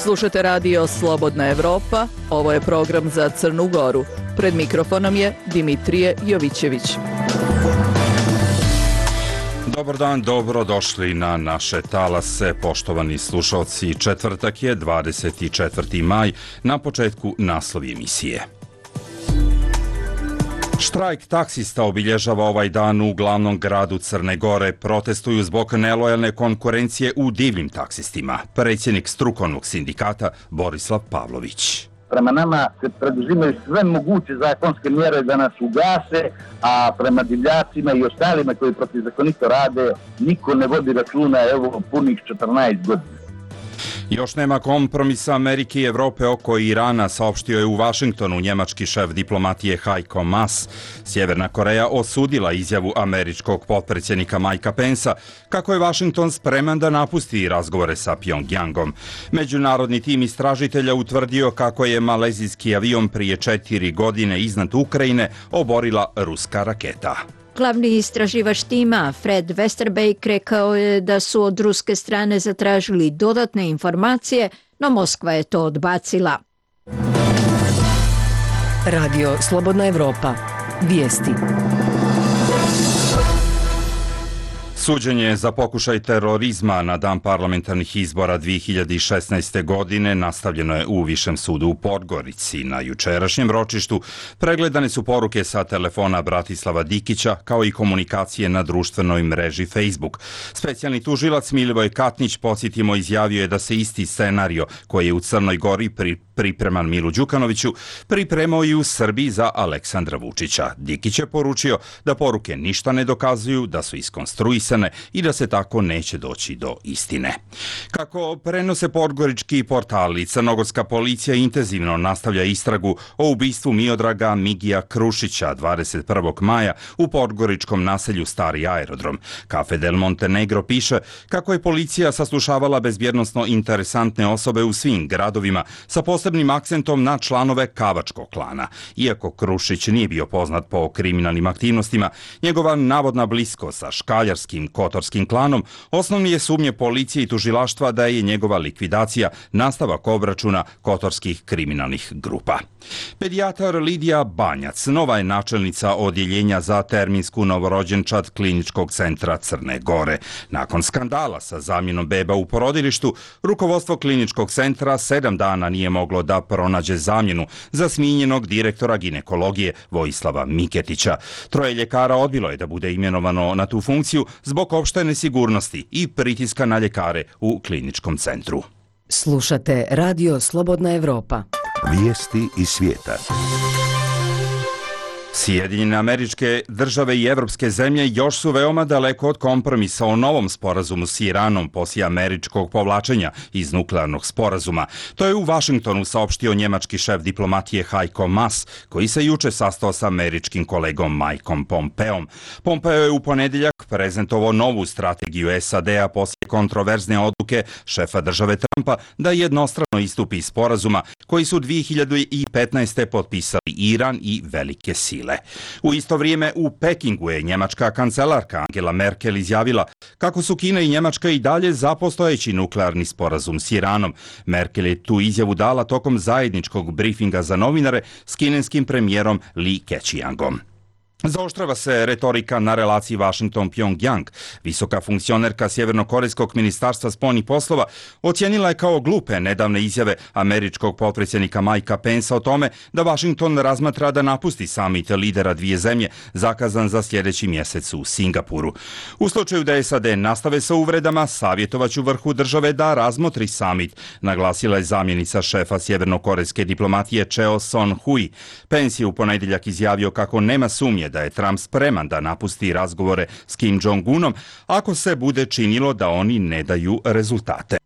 Slušate radio Slobodna Evropa, ovo je program za Crnu Goru. Pred mikrofonom je Dimitrije Jovićević. Dobar dan, dobrodošli na naše talase, poštovani slušalci. Četvrtak je 24. maj, na početku naslovi emisije. Štrajk taksista obilježava ovaj dan u glavnom gradu Crne Gore. Protestuju zbog nelojalne konkurencije u divljim taksistima. Predsjednik strukovnog sindikata Borislav Pavlović. Prema nama se preduzimaju sve moguće zakonske mjere da nas ugase, a prema divljacima i ostalima koji protivzakonito rade niko ne vodi računa, evo punih 14 godina. Još nema kompromisa Amerike i Evrope oko Irana, saopštio je u Vašingtonu njemački šef diplomatije Heiko Maas. Sjeverna Koreja osudila izjavu američkog potpredsjednika Mikea Pensa kako je Vašington spreman da napusti razgovore sa Pjongjangom. Međunarodni tim istražitelja utvrdio kako je malezijski avion prije 4 godine iznad Ukrajine oborila ruska raketa. Glavni istraživač tima, Fred Westerbeek, rekao je da su od ruske strane zatražili dodatne informacije, no Moskva je to odbacila. Radio Slobodna Evropa. Vijesti. Suđenje za pokušaj terorizma na dan parlamentarnih izbora 2016. godine nastavljeno je u Višem sudu u Podgorici. Na jučerašnjem ročištu pregledane su poruke sa telefona Bratislava Dikića kao i komunikacije na društvenoj mreži Facebook. Specijalni tužilac Milivoj Katnić, podsjetimo, izjavio je da se isti scenario koji je u Crnoj Gori pripreman Milu Đukanoviću pripremao i u Srbiji za Aleksandra Vučića. Dikić je poručio da poruke ništa ne dokazuju, da su iskonstruisane i da se tako neće doći do istine. Kako prenose podgorički portali, crnogorska policija intenzivno nastavlja istragu o ubistvu Miodraga Migija Krušića 21. maja u podgoričkom naselju Stari aerodrom. Cafe del Montenegro piše kako je policija saslušavala bezbjednosno interesantne osobe u svim gradovima sa posebnim akcentom na članove Kavačkog klana. Iako Krušić nije bio poznat po kriminalnim aktivnostima, njegova navodna bliskost sa škaljarskim Kotorskim klanom osnovni je sumnje policije i tužilaštva da je njegova likvidacija nastavak obračuna kotorskih kriminalnih grupa. Pedijatar Lidija Banjac nova je načelnica odjeljenja za terminsku novorođenčad Kliničkog centra Crne Gore. Nakon skandala sa zamjenom beba u porodilištu, rukovodstvo Kliničkog centra 7 dana nije moglo da pronađe zamjenu za smijenjenog direktora ginekologije Vojislava Miketića. 3 ljekara odbilo je da bude imenovano na tu funkciju zbog opšte nesigurnosti i pritiska na ljekare u kliničkom centru. Slušate Radio Slobodna Evropa. Vijesti iz svijeta. Sjedinjene Američke Države i evropske zemlje još su veoma daleko od kompromisa o novom sporazumu s Iranom poslije američkog povlačenja iz nuklearnog sporazuma. To je u Vašingtonu saopštio njemački šef diplomatije Heiko Maas, koji se juče sastao sa američkim kolegom Mikeom Pompeom. Pompeo je u ponedjeljak prezentovao novu strategiju SAD-a poslije kontroverzne odluke šefa države Trumpa da jednostrano istupi iz sporazuma koji su 2015. potpisali Iran i velike sile. U isto vrijeme u Pekingu je njemačka kancelarka Angela Merkel izjavila kako su Kina i Njemačka i dalje za postojeći nuklearni sporazum s Iranom. Merkel je tu izjavu dala tokom zajedničkog brifinga za novinare s kineskim premijerom Li Keqiangom. Zaoštrava se retorika na relaciji Washington-Pjongjang. Visoka funkcionerka Sjevernokorejskog ministarstva spoljnih poslova ocijenila je kao glupe nedavne izjave američkog potpredsjednika Mikea Pensa o tome da Washington razmatra da napusti samit lidera dvije zemlje zakazan za sljedeći mjesec u Singapuru. U slučaju da SAD nastave sa uvredama, savjetovaću vrhu države da razmotri samit, naglasila je zamjenica šefa sjevernokorejske diplomatije Cheo Son-hui. Pence je u ponedjeljak izjavio kako nema sumnje da je Trump spreman da napusti razgovore s Kim Jong-unom ako se bude činilo da oni ne daju rezultate.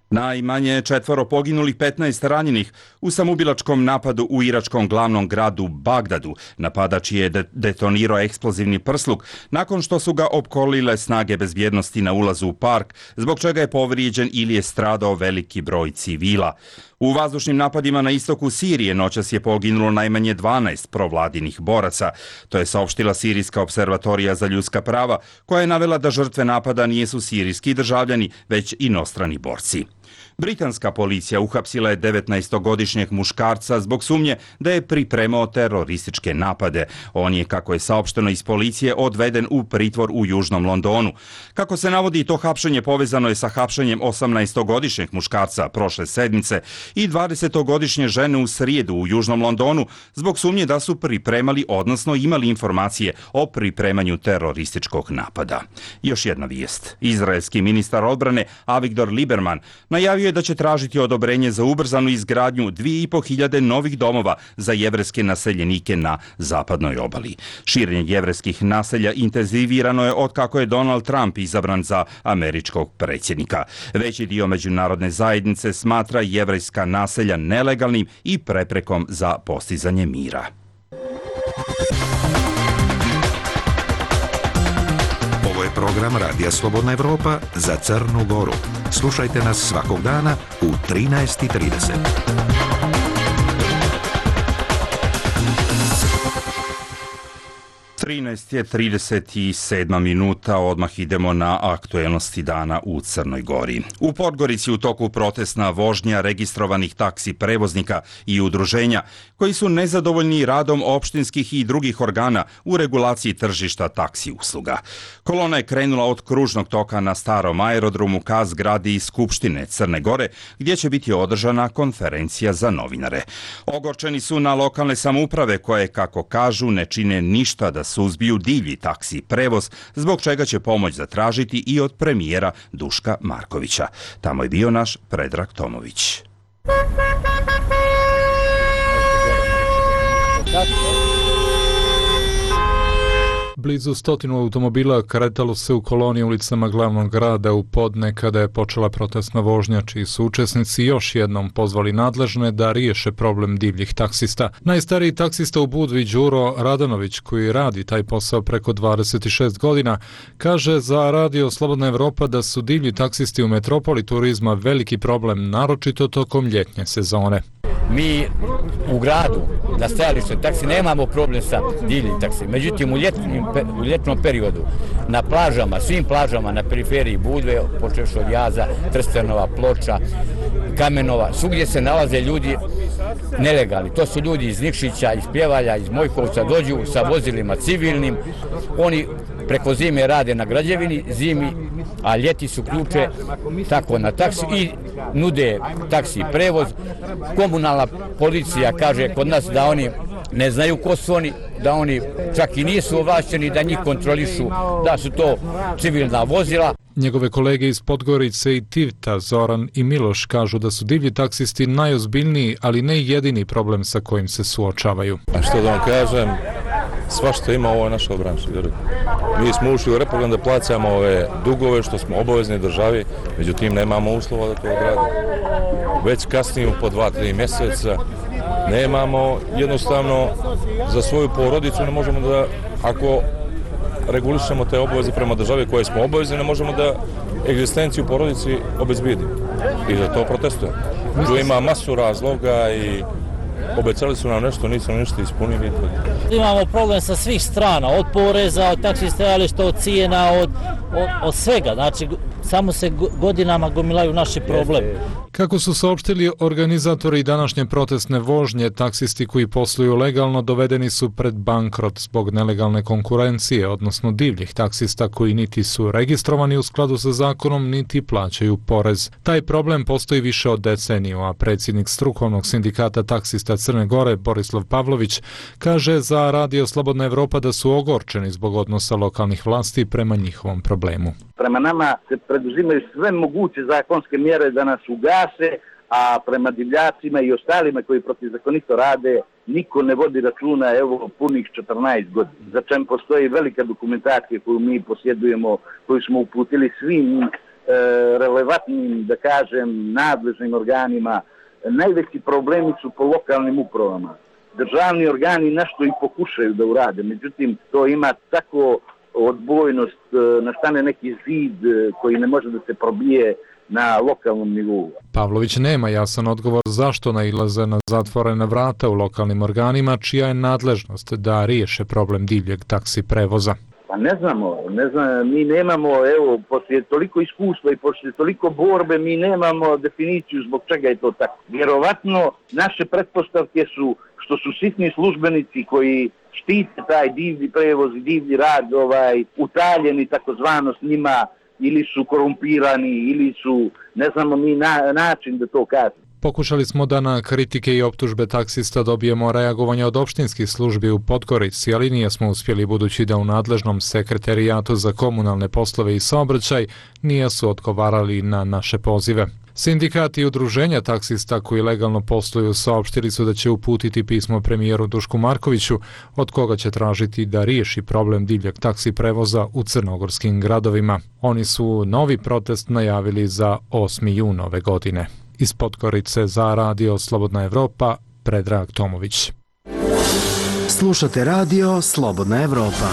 Najmanje 4 poginulih, 15 ranjenih u samoubilačkom napadu u iračkom glavnom gradu Bagdadu. Napadač je detonirao eksplozivni prsluk nakon što su ga opkolile snage bezbjednosti na ulazu u park, zbog čega je povrijeđen ili je stradao veliki broj civila. U vazdušnim napadima na istoku Sirije noćas je poginulo najmanje 12 provladinih boraca. To je saopštila Sirijska observatorija za ljudska prava, koja je navela da žrtve napada nisu sirijski državljani, već inostrani borci. Britanska policija uhapsila je 19-godišnjeg muškarca zbog sumnje da je pripremao terorističke napade. On je, kako je saopšteno iz policije, odveden u pritvor u Južnom Londonu. Kako se navodi, to hapšenje povezano je sa hapšenjem 18-godišnjeg muškarca prošle sedmice i 20-godišnje žene u srijedu u Južnom Londonu zbog sumnje da su pripremali, odnosno imali informacije o pripremanju terorističkog napada. Još jedna vijest. Izraelski ministar odbrane Avigdor Lieberman najavio je da će tražiti odobrenje za ubrzanu izgradnju 2.500 novih domova za jevrejske naseljenike na zapadnoj obali. Širenje jevrejskih naselja intenzivirano je otkako je Donald Trump izabran za američkog predsjednika. Veći dio međunarodne zajednice smatra jevrejska naselja nelegalnim i preprekom za postizanje mira. Ovo je program Radija Slobodna Evropa za Crnu Goru. Slušajte nas svakog dana u 13:30. 13:37 minuta, odmah idemo na aktuelnosti dana u Crnoj Gori. U Podgorici u toku protestna vožnja registrovanih taksi prevoznika i udruženja koji su nezadovoljni radom opštinskih i drugih organa u regulaciji tržišta taksi usluga. Kolona je krenula od kružnog toka na starom aerodromu ka zgradi Skupštine Crne Gore, gdje će biti održana konferencija za novinare. Ogorčeni su na lokalne samouprave koje, kako kažu, ne čine ništa da suzbiju divlji taksi prevoz, zbog čega će pomoć zatražiti i od premijera Duška Markovića. Tamo je bio naš Predrag Tomović. Blizu 100 automobila kretalo se u koloni ulicama glavnog grada u podne kada je počela protestna vožnja, čiji su učesnici još jednom pozvali nadležne da riješe problem divljih taksista. Najstariji taksista u Budvi, Đuro Radanović, koji radi taj posao preko 26 godina, kaže za Radio Slobodna Evropa da su divlji taksisti u metropoli turizma veliki problem, naročito tokom ljetnje sezone. Mi u gradu na stajalište taksi nemamo problem sa divljim taksi. Međutim, u ljetnom periodu na plažama, svim plažama na periferiji Budve, počevši od Jaza, Trstenova, Ploča, Kamenova, svugdje se nalaze ljudi nelegalni. To su ljudi iz Nikšića, iz Pljevalja, iz Mojkovca, dođu sa vozilima civilnim. Oni preko zime rade na građevini, zimi, a ljeti su ključe tako na taksi i nude taksi prevoz. Komunalna policija kaže kod nas da oni ne znaju ko su oni, da oni čak i nisu ovlašćeni da njih kontrolišu, da su to civilna vozila. Njegove kolege iz Podgorice i Tivta, Zoran i Miloš, kažu da su divlji taksisti najozbiljniji, ali ne jedini problem sa kojim se suočavaju. A što da vam kažem, svašta ima u ovoj našoj branši. Mi smo ušli u reprogram da plaćamo ove dugove što smo obavezni državi, međutim nemamo uslova da to odradimo. Već kasnimo po 2-3 mjeseca, nemamo jednostavno za svoju porodicu, ne možemo da, ako regulišemo te obaveze prema državi koje smo obavezni, ne možemo da egzistenciju porodici obezbijedimo i da to protestujemo. Tu ima masu razloga i obećali su nam nešto, nisu ništa ispunili. Imamo problem sa svih strana, od poreza, od taksi stajališta, od cijena, od svega. Znači, samo se godinama gomilaju naši problemi. Kako su saopštili organizatori današnje protestne vožnje, taksisti koji posluju legalno dovedeni su pred bankrot zbog nelegalne konkurencije, odnosno divljih taksista koji niti su registrovani u skladu sa zakonom, niti plaćaju porez. Taj problem postoji više od deceniju, a predsjednik strukovnog sindikata taksista Crne Gore, Borislav Pavlović, kaže za Radio Slobodna Evropa da su ogorčeni zbog odnosa lokalnih vlasti prema njihovom problemu. Prema nama se preduzimaju sve moguće zakonske mjere da nas ugase, a prema divljacima i ostalima koji protivzakonito rade niko ne vodi računa, evo, punih 14 godina. Za čem postoji velika dokumentacija koju mi posjedujemo, koju smo uputili svim relevantnim, da kažem, nadležnim organima. Najveći problemi su po lokalnim upravama. Državni organi nešto i pokušaju da urade, međutim to ima tako odbojnost, nastane neki zid koji ne može da se probije na lokalnom nivou. Pavlović nema jasan odgovor zašto nailaze na zatvorena vrata u lokalnim organima, čija je nadležnost da riješe problem divljeg taksi prevoza. Pa ne znam, mi nemamo, evo, poslije toliko iskustva i poslije toliko borbe, mi nemamo definiciju zbog čega je to tako. Vjerovatno, naše pretpostavke su što su sitni službenici koji štite taj divlji prevoz i divlji rad, utaljeni takozvano s njima, ili su korumpirani, ili su, ne znamo mi način da to kažemo. Pokušali smo da na kritike i optužbe taksista dobijemo reagovanje od opštinskih službi u Podgorici, ali nismo uspjeli budući da u nadležnom sekretarijatu za komunalne poslove i saobraćaj nisu odgovarali na naše pozive. Sindikati i udruženja taksista koji legalno posluju saopštili su da će uputiti pismo premijeru Dušku Markoviću, od koga će tražiti da riješi problem divljeg taksi prevoza u crnogorskim gradovima. Oni su novi protest najavili za 8. jun ove godine. Iz Podgorice za Radio Slobodna Evropa, Predrag Tomović. Slušate Radio Slobodna Evropa.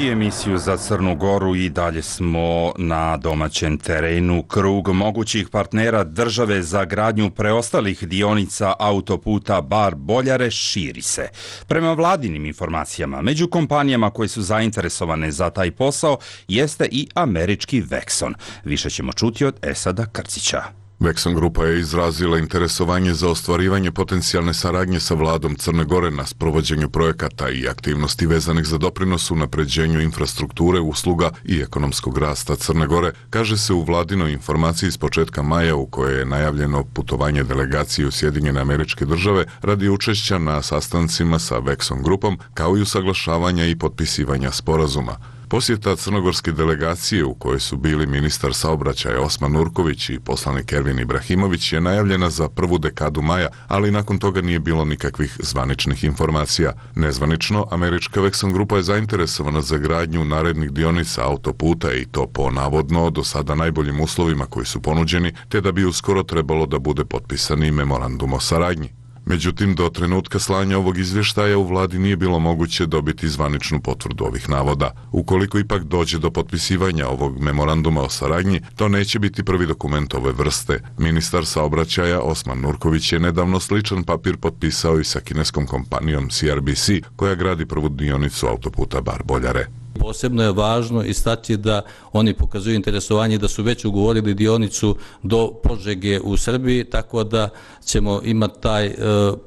I emisiju za Crnu Goru i dalje smo na domaćem terenu. Krug mogućih partnera države za gradnju preostalih dionica autoputa Bar-Boljare širi se. Prema vladinim informacijama, među kompanijama koje su zainteresovane za taj posao jeste i američki Vexon. Više ćemo čuti od Esada Krcića. Vexon grupa je izrazila interesovanje za ostvarivanje potencijalne saradnje sa vladom Crne Gore na sprovođenju projekata i aktivnosti vezanih za doprinos unapređenju infrastrukture, usluga i ekonomskog rasta Crne Gore, kaže se u vladinoj informaciji s početka maja u kojoj je najavljeno putovanje delegacije u Sjedinjene Američke Države radi učešća na sastancima sa Vexon grupom, kao i usaglašavanja i potpisivanja sporazuma. Posjeta crnogorske delegacije u kojoj su bili ministar saobraćaja Osman Nurković i poslanik Ervin Ibrahimović je najavljena za prvu dekadu maja, ali nakon toga nije bilo nikakvih zvaničnih informacija. Nezvanično, američka Vexon grupa je zainteresovana za gradnju narednih dionica autoputa i to po navodno do sada najboljim uslovima koji su ponuđeni, te da bi uskoro trebalo da bude potpisani memorandum o saradnji. Međutim, do trenutka slanja ovog izvještaja u vladi nije bilo moguće dobiti zvaničnu potvrdu ovih navoda. Ukoliko ipak dođe do potpisivanja ovog memoranduma o saradnji, to neće biti prvi dokument ove vrste. Ministar saobraćaja Osman Nurković je nedavno sličan papir potpisao i sa kineskom kompanijom CRBC, koja gradi prvu dionicu autoputa Bar-Boljare. Posebno je važno istaći da oni pokazuju interesovanje da su već ugovorili dionicu do Požege u Srbiji, tako da ćemo imati taj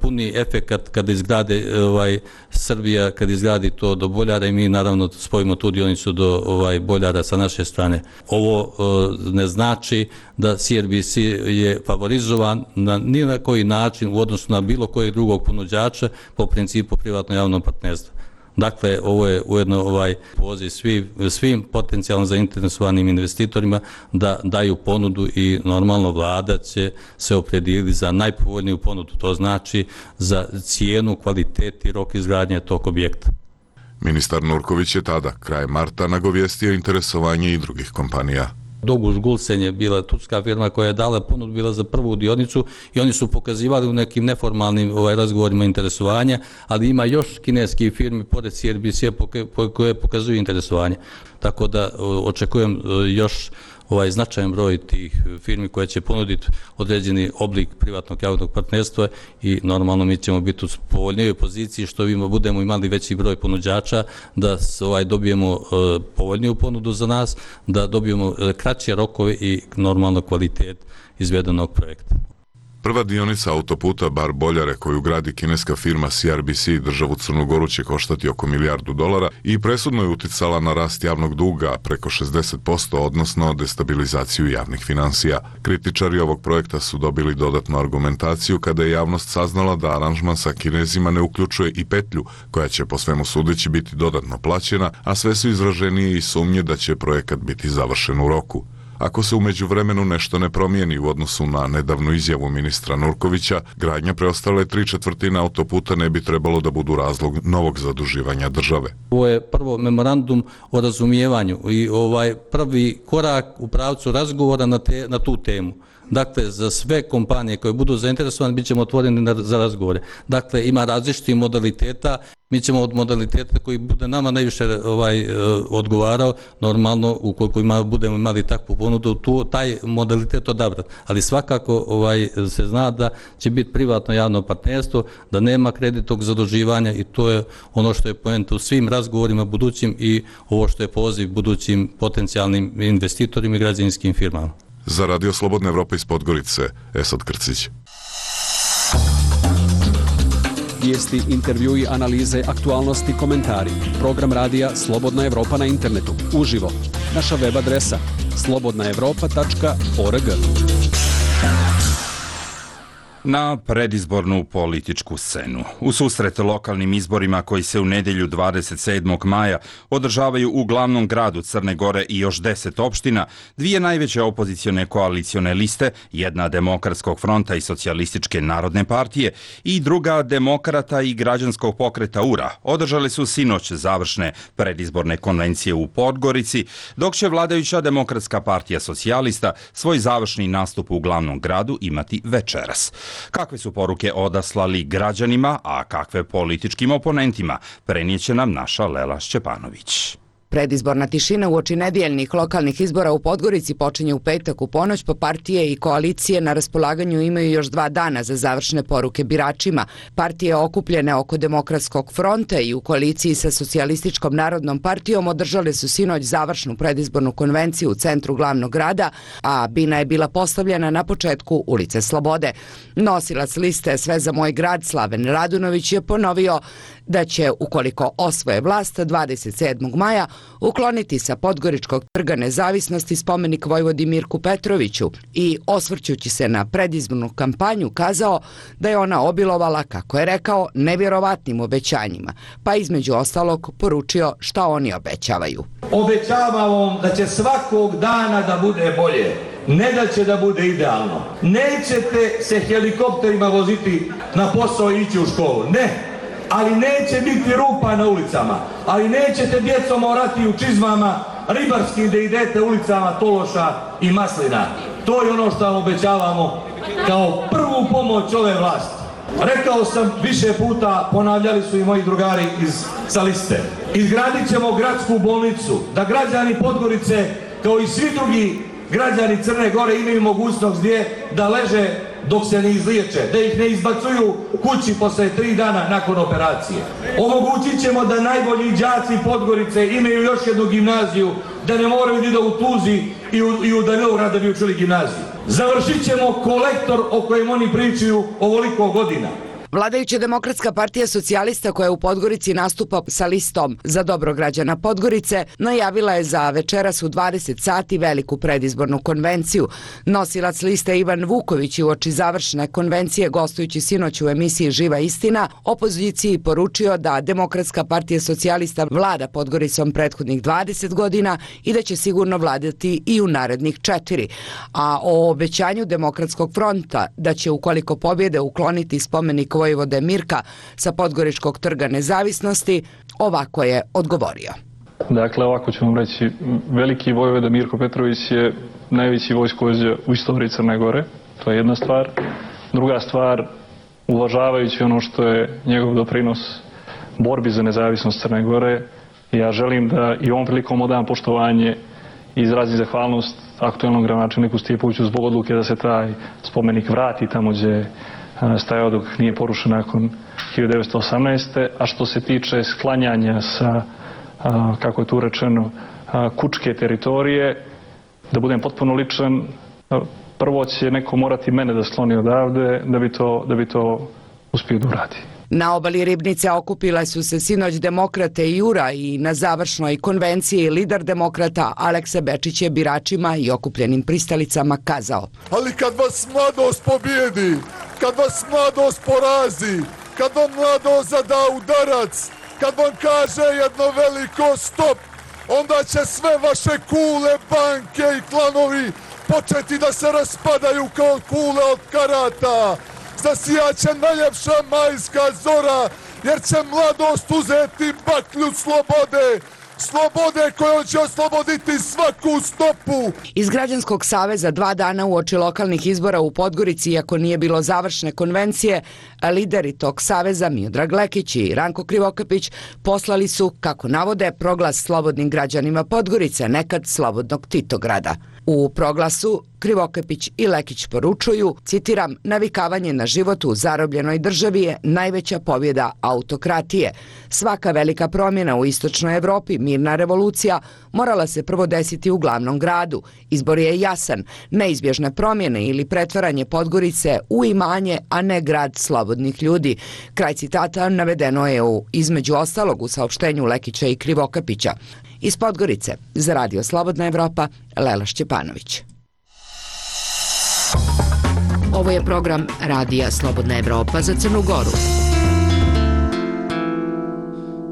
puni efekat kada izgrade Srbija, kada izgradi to do Boljara i mi naravno spojimo tu dionicu do Boljara sa naše strane. Ovo ne znači da CRBC je favorizovan ni na koji način u odnosu na bilo kojeg drugog ponuđača po principu privatno-javnog partnerstva. Dakle, ovo je ujedno poziv svim potencijalno zainteresovanim investitorima da daju ponudu i normalno vlada će se opredijeliti za najpovoljniju ponudu, to znači za cijenu, kvalitet i rok izgradnje tog objekta. Ministar Nurković je tada, kraj marta, nagovijestio interesovanje i drugih kompanija. Doguš Gulsen je bila turska firma koja je dala ponudu, bila za prvu dionicu i oni su pokazivali u nekim neformalnim razgovorima interesovanja, ali ima još kineskih firmi pored CRBC koje pokazuju interesovanje. Tako da očekujem još značajan broj tih firmi koje će ponuditi određeni oblik privatnog javnog partnerstva i normalno mi ćemo biti u povoljnijoj poziciji što budemo imali veći broj ponuđača, da dobijemo povoljniju ponudu za nas, da dobijemo kraće rokove i normalno kvalitet izvedenog projekta. Prva dionica autoputa Bar-Boljare koju gradi kineska firma CRBC državu Crnu Goru će koštati oko $1 milijardu i presudno je uticala na rast javnog duga preko 60%, odnosno destabilizaciju javnih financija. Kritičari ovog projekta su dobili dodatnu argumentaciju kada je javnost saznala da aranžman sa Kinezima ne uključuje i petlju koja će po svemu sudeći biti dodatno plaćena, a sve su izraženije i sumnje da će projekat biti završen u roku. Ako se u međuvremenu nešto ne promijeni u odnosu na nedavnu izjavu ministra Nurkovića, gradnja preostale 3/4 autoputa ne bi trebalo da budu razlog novog zaduživanja države. Ovo je prvo memorandum o razumijevanju i prvi korak u pravcu razgovora na tu temu. Dakle, za sve kompanije koje budu zainteresovane bit ćemo otvoreni za razgovore. Dakle, ima različitih modaliteta. Mi ćemo od modaliteta koji bude nama najviše odgovarao, normalno ukoliko budemo imali takvu ponudu, taj modalitet odabrati. Ali svakako se zna da će biti privatno javno partnerstvo, da nema kreditnog zaduživanja i to je ono što je poenta u svim razgovorima budućim i ovo što je poziv budućim potencijalnim investitorima i građevinskim firmama. Za Radio Slobodna Evropa iz Podgorice, Esad Krcić. Vijesti, intervjui, analize, aktualnosti, komentari. Program radija Slobodna Evropa na internetu. Uživo. Naša web adresa slobodnaevropa.org. Na predizbornu političku scenu. U susret lokalnim izborima koji se u nedjelju 27. maja održavaju u glavnom gradu Crne Gore i još 10 opština, dvije najveće opozicione koalicione liste, jedna Demokratskog fronta i Socijalističke narodne partije i druga Demokrata i Građanskog pokreta URA, održale su sinoć završne predizborne konvencije u Podgorici, dok će vladajuća Demokratska partija socijalista svoj završni nastup u glavnom gradu imati večeras. Kakve su poruke odaslali građanima, a kakve političkim oponentima, prenijeće nam naša Lela Šćepanović. Predizborna tišina uoči nedjeljnih lokalnih izbora u Podgorici počinje u petak u ponoć, pa partije i koalicije na raspolaganju imaju još 2 dana za završne poruke biračima. Partije okupljene oko Demokratskog fronta i u koaliciji sa Socijalističkom narodnom partijom održale su sinoć završnu predizbornu konvenciju u centru glavnog grada, a bina je bila postavljena na početku ulice Slobode. Nosilac liste Sve za moj grad Slaven Radunović je ponovio da će, ukoliko osvoje vlast 27. maja, ukloniti sa Podgoričkog trga Nezavisnosti spomenik vojvodi Mirku Petroviću i, osvrćući se na predizbornu kampanju, kazao da je ona obilovala, kako je rekao, nevjerovatnim obećanjima, pa između ostalog poručio šta oni obećavaju. Obećavam vam da će svakog dana da bude bolje, ne da će da bude idealno. Nećete se helikopterima voziti na posao i ići u školu, ne. Ali neće biti rupa na ulicama, ali nećete djecom morati u čizmama ribarskim da idete ulicama Tološa i Maslina. To je ono što vam obećavamo kao prvu pomoć ove vlasti. Rekao sam više puta, ponavljali su i moji drugari sa liste. Izgradit ćemo gradsku bolnicu, da građani Podgorice, kao i svi drugi građani Crne Gore, imaju mogućnost gdje da leže dok se ne izliječe, da ih ne izbacuju kući posle 3 dana nakon operacije. Omogućit ćemo da najbolji đaci Podgorice imaju još jednu gimnaziju, da ne moraju da idu u Tuzli i u Danilograd da bi učili gimnaziju. Završit ćemo kolektor o kojem oni pričaju ovoliko godina. Vladajuća Demokratska partija socijalista, koja u Podgorici nastupa sa listom Za dobro građana Podgorice, najavila je za večeras u 20 sati veliku predizbornu konvenciju. Nosilac liste Ivan Vuković je uoči završne konvencije, gostujući sinoć u emisiji Živa istina, opoziciji poručio da Demokratska partija socijalista vlada Podgoricom prethodnih 20 godina i da će sigurno vladati i u narednih 4. A o obećanju Demokratskog fronta da će, ukoliko pobjede, ukloniti spomenik vojvode Mirka sa Podgoričkog trga Nezavisnosti, ovako je odgovorio. Dakle, ovako ću vam reći, veliki vojvoda Mirko Petrović je najveći vojskovođa u istoriji Crne Gore, to je jedna stvar. Druga stvar, uvažavajući ono što je njegov doprinos borbi za nezavisnost Crne Gore, ja želim da i ovom prilikom odam poštovanje i izrazim zahvalnost aktuelnom gradonačelniku Stijepoviću zbog odluke da se taj spomenik vrati tamo gdje stajao dok nije porušen nakon 1918. A što se tiče sklanjanja sa, kako je tu rečeno, kučke teritorije, da budem potpuno ličan, prvo će neko morati mene da skloni odavde da bi to uspio da uradi. Na obali Ribnice okupile su se sinoć Demokrate i URA i na završnoj konvenciji lider Demokrata Aleksa Bečić je biračima i okupljenim pristalicama kazao: ali kad vas mladost pobijedi, kad vas mladost porazi, kad vam mladost zada udarac, kad vam kaže jedno veliko stop, onda će sve vaše kule, banke i klanovi početi da se raspadaju kao kule od karata. Zasijaće najljepša majska zora, jer će mladost uzeti baklju slobode slobode kojom će osloboditi svaku stopu. Iz Građanskog saveza 2 dana uoči lokalnih izbora u Podgorici, iako nije bilo završne konvencije, lideri tog saveza Miodrag Lekić i Ranko Krivokapić poslali su, kako navode, proglas slobodnim građanima Podgorice, nekad slobodnog Titograda. U proglasu Krivokapić i Lekić poručuju, citiram, navikavanje na život u zarobljenoj državi je najveća pobjeda autokratije. Svaka velika promjena u istočnoj Evropi, mirna revolucija, morala se prvo desiti u glavnom gradu. Izbor je jasan, neizbježne promjene ili pretvaranje Podgorice u imanje, a ne grad slobodnih ljudi. Kraj citata navedeno je između ostalog u saopštenju Lekića i Krivokapića. Iz Podgorice, za Radio Slobodna Evropa, Lela Šćepanović. Ovo je program Radija Slobodna Evropa za Crnu Goru.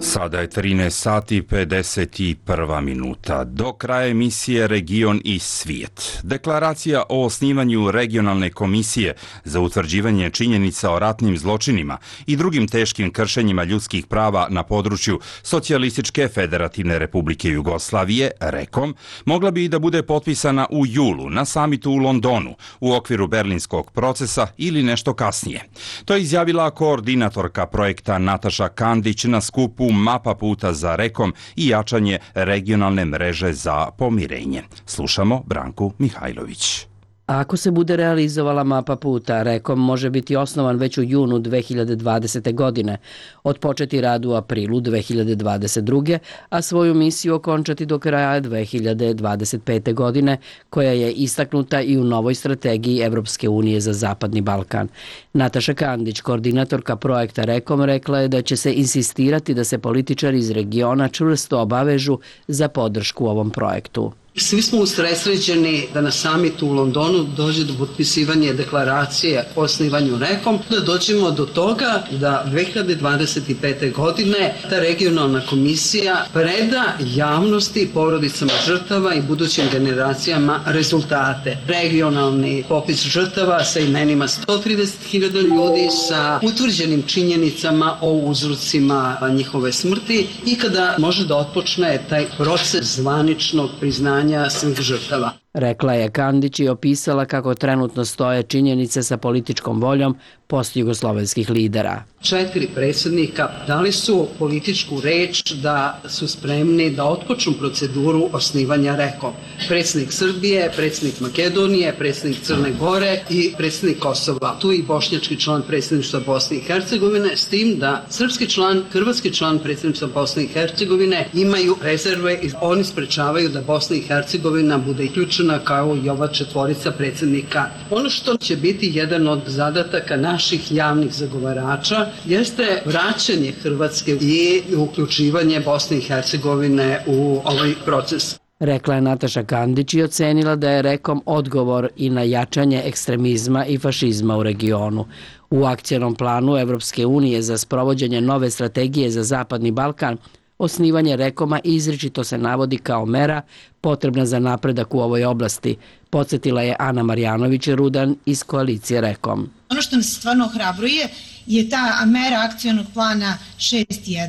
Sada je 13 sati 51 minuta. Do kraja emisije Region i svijet. Deklaracija o osnivanju regionalne komisije za utvrđivanje činjenica o ratnim zločinima i drugim teškim kršenjima ljudskih prava na području Socijalističke federativne republike Jugoslavije, REKOM, mogla bi i da bude potpisana u julu na samitu u Londonu u okviru berlinskog procesa ili nešto kasnije. To je izjavila koordinatorka projekta Nataša Kandić na skupu Mapa puta za REKOM i jačanje regionalne mreže za pomirenje. Slušamo Branku Mihajlović. Ako se bude realizovala mapa puta, REKOM može biti osnovan već u junu 2020. godine, otpočeti rad u aprilu 2022. a svoju misiju okončati do kraja 2025. godine, koja je istaknuta i u novoj strategiji Evropske unije za Zapadni Balkan. Nataša Kandić, koordinatorka projekta REKOM, rekla je da će se insistirati da se političari iz regiona čvrsto obavežu za podršku ovom projektu. Svi smo usredsređeni da na samitu u Londonu dođe do potpisivanja deklaracije o osnivanju REKOM, da dođemo do toga da 2025. godine ta regionalna komisija preda javnosti, porodicama žrtava i budućim generacijama rezultate. Regionalni popis žrtava sa imenima 130.000 ljudi, sa utvrđenim činjenicama o uzrocima njihove smrti i kada može da otpočne taj proces zvaničnog priznanja svih žrtava. Rekla je Kandić i opisala kako trenutno stoje činjenice sa političkom voljom postjugoslovenskih lidera. 4 predsjednika dali su političku reč da su spremni da otpočnu proceduru osnivanja REKOM. Predsjednik Srbije, predsjednik Makedonije, predsjednik Crne Gore i predsjednik Kosova. Tu i bošnjački član predsjedništva Bosne i Hercegovine, s tim da srpski član, hrvatski član predsjedništva Bosne i Hercegovine imaju rezerve i oni sprečavaju da Bosna i Hercegovina bude uključena kao i ova 4 predsjednika. Ono što će biti jedan od zadataka naših javnih zagovarača jeste vraćanje Hrvatske i uključivanje Bosne i Hercegovine u ovaj proces. Rekla je Nataša Kandić i ocenila da je REKOM odgovor i na jačanje ekstremizma i fašizma u regionu. U akcionom planu Evropske unije za sprovođenje nove strategije za Zapadni Balkan osnivanje REKOM-a izričito se navodi kao mera potrebna za napredak u ovoj oblasti, podsjetila je Ana Marjanović-Rudan iz koalicije REKOM. Ono što nas stvarno ohrabruje je ta mera akcionog plana 6.1,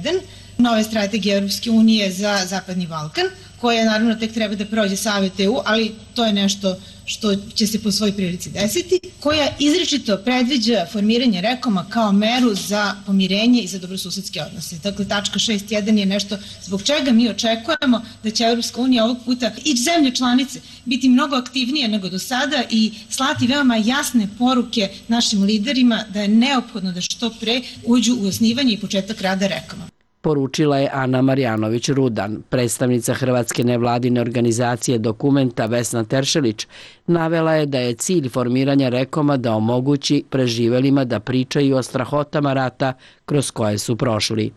nove strategije Europske unije za Zapadni Balkan, koja naravno tek treba da prođe Savet EU, ali to je nešto što će se po svoj prilici desiti, koja izričito predviđa formiranje REKOM-a kao meru za pomirenje i za dobrosusedske odnose. Dakle, tačka 6.1 je nešto zbog čega mi očekujemo da će Europska unija ovog puta i zemlje članice biti mnogo aktivnije nego do sada i slati veoma jasne poruke našim liderima da je neophodno da što pre uđu u osnivanje i početak rada REKOM-a. Poručila je Ana Marjanović-Rudan. Predstavnica Hrvatske nevladine organizacije Dokumenta Vesna Teršelić navela je da je cilj formiranja REKOM-a da omogući preživelima da pričaju o strahotama rata kroz koje su prošli.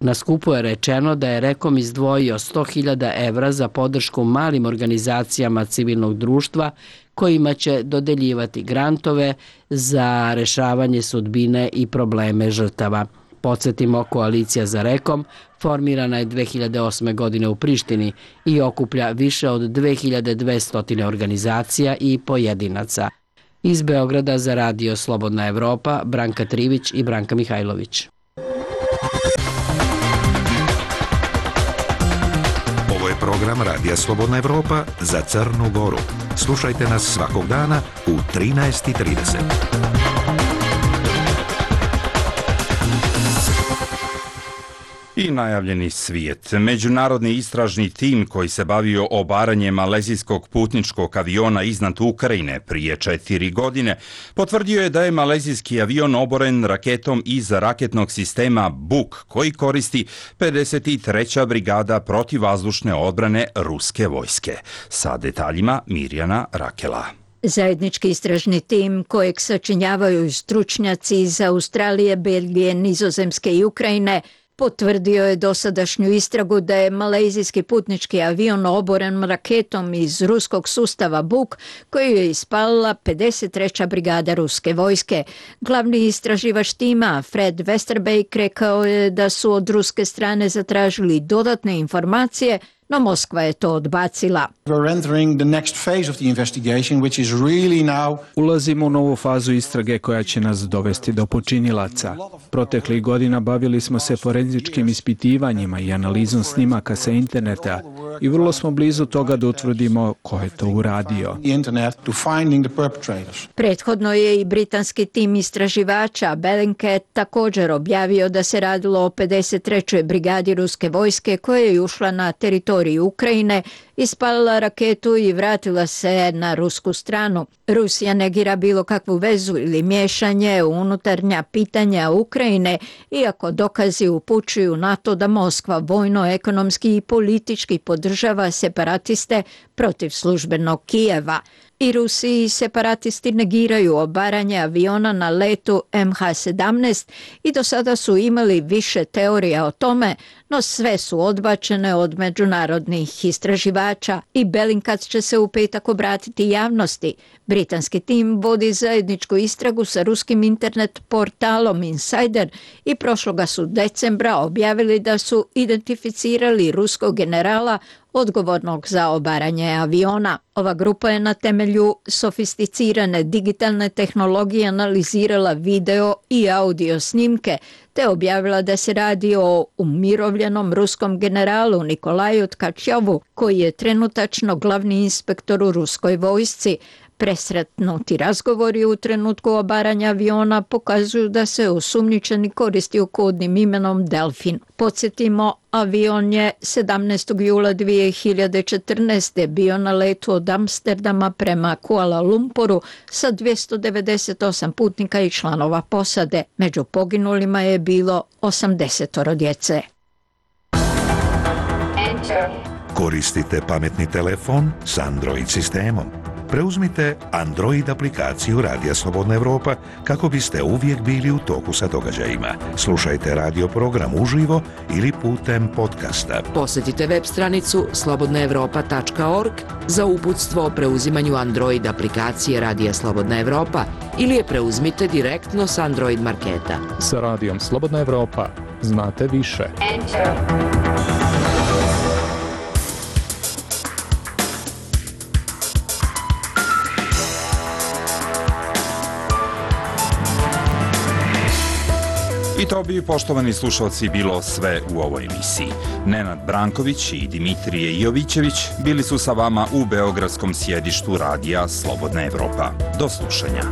Na skupu je rečeno da je REKOM izdvojio 100.000 evra za podršku malim organizacijama civilnog društva kojima će dodeljivati grantove za rešavanje sudbine i probleme žrtava. Podsjetimo, koalicija za REKOM formirana je 2008. godine u Prištini i okuplja više od 2200 organizacija i pojedinaca. Iz Beograda za Radio Slobodna Evropa, Branka Trivić i Branka Mihajlović. program Radija Slobodna Evropa za Crnu Goru. Slušajte nas svakog dana u 13:30. I najavljeni svijet. Međunarodni istražni tim koji se bavio obaranjem malezijskog putničkog aviona iznad Ukrajine prije 4 godine potvrdio je da je malezijski avion oboren raketom iz raketnog sistema Buk koji koristi 53. brigada protivvazdušne odbrane ruske vojske. Sa detaljima Mirjana Rakela. Zajednički istražni tim kojeg sačinjavaju stručnjaci iz Australije, Belgije, Nizozemske i Ukrajine potvrdio je dosadašnju istragu da je malezijski putnički avion oboren raketom iz ruskog sustava Buk koju je ispalila 53. brigada ruske vojske. Glavni istraživač tima Fred Westerbeek rekao je da su od ruske strane zatražili dodatne informacije, no Moskva je to odbacila. Ulazimo u novu fazu istrage koja će nas dovesti do počinilaca. Proteklih godina bavili smo se forenzičkim ispitivanjima i analizom snimaka sa interneta i vrlo smo blizu toga da utvrdimo ko je to uradio. Prethodno je i britanski tim istraživača Bellingcat također objavio da se radilo o 53. brigadi ruske vojske koja je ušla na teritoriju Ukrajine, ispalila raketu i vratila se na rusku stranu. Rusija negira bilo kakvu vezu ili miješanje u unutarnja pitanja Ukrajine, iako dokazi upućuju na to da Moskva vojno, ekonomski i politički podržava separatiste protiv službenog Kijeva. I Rusi i separatisti negiraju obaranje aviona na letu MH17 i do sada su imali više teorija o tome, no sve su odbačene od međunarodnih istraživača i Bellingcat će se u petak obratiti javnosti. Britanski tim vodi zajedničku istragu sa ruskim internet portalom Insider i prošloga su decembra objavili da su identificirali ruskog generala odgovornog za obaranje aviona. Ova grupa je na temelju sofisticirane digitalne tehnologije analizirala video i audio snimke te objavila da se radi o umirovljenom ruskom generalu Nikolaju Tkačovu koji je trenutačno glavni inspektor u ruskoj vojsci. Presretnuti razgovori u trenutku obaranja aviona pokazuju da se osumnjičeni koristio kodnim imenom Delfin. Podsjetimo, avion je 17. jula 2014. bio na letu od Amsterdama prema Kuala Lumpuru sa 298 putnika i članova posade. Među poginulima je bilo 80 djece. Koristite pametni telefon s Android sistemom. Preuzmite Android aplikaciju Radija Slobodna Evropa kako biste uvijek bili u toku sa događajima. Slušajte radio program uživo ili putem podcasta. Posjetite web stranicu slobodnaevropa.org za uputstvo o preuzimanju Android aplikacije Radija Slobodna Evropa ili je preuzmite direktno s Android marketa. Sa Radijom Slobodna Evropa znate više. I to bi, poštovani slušalci, bilo sve u ovoj emisiji. Nenad Branković i Dimitrije Jovićević bili su sa vama u beogradskom sjedištu Radija Slobodna Evropa. Do slušanja.